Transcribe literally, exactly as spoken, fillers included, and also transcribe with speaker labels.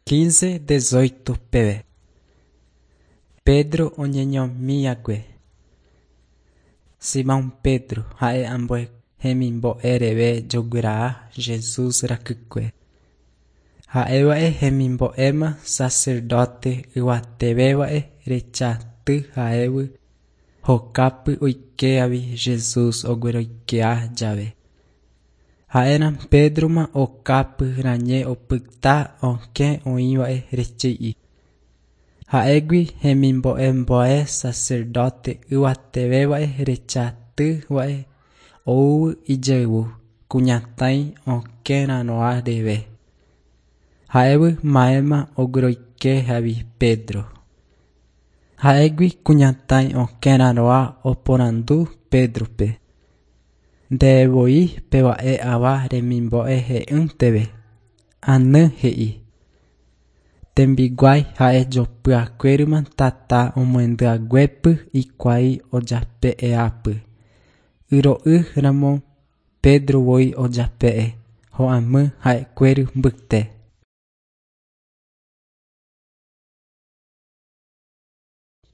Speaker 1: Quince dezoito peve. Pedro oñeñomiakue. Simón Pedro ha'e ambue hemimbo'ereve jogueraha Jesús rakykue. Ha'éva'e hemimbo'éma sacerdote yvatevéva'e rechaty ha'égui hokápe oike'avi Jesús ogueroike jave. Ha'érã Pedroma okápe rañe opyta okẽ oĩva'e reche'i. Ha'égui hemimbo'embo'e sacerdote yvatevéva'e rechatýva'e ou ijayvu kuñataĩ okẽrarõa reve. Ha'égui ma'éma ogueroikehavi Pedro. Ha'égui kuñataĩ okẽrarõa oporandu Pedrope. Ndevoi peva'e ava remimbo'e he'ínteve. Any he'i. Tembiguái ha'e jopyakuérima tata omohendyhaguépe hikuái ojape'eápe. Yro'ýramo Pedro voi ojape'e ho'ámi ha'ekuéra mbyte.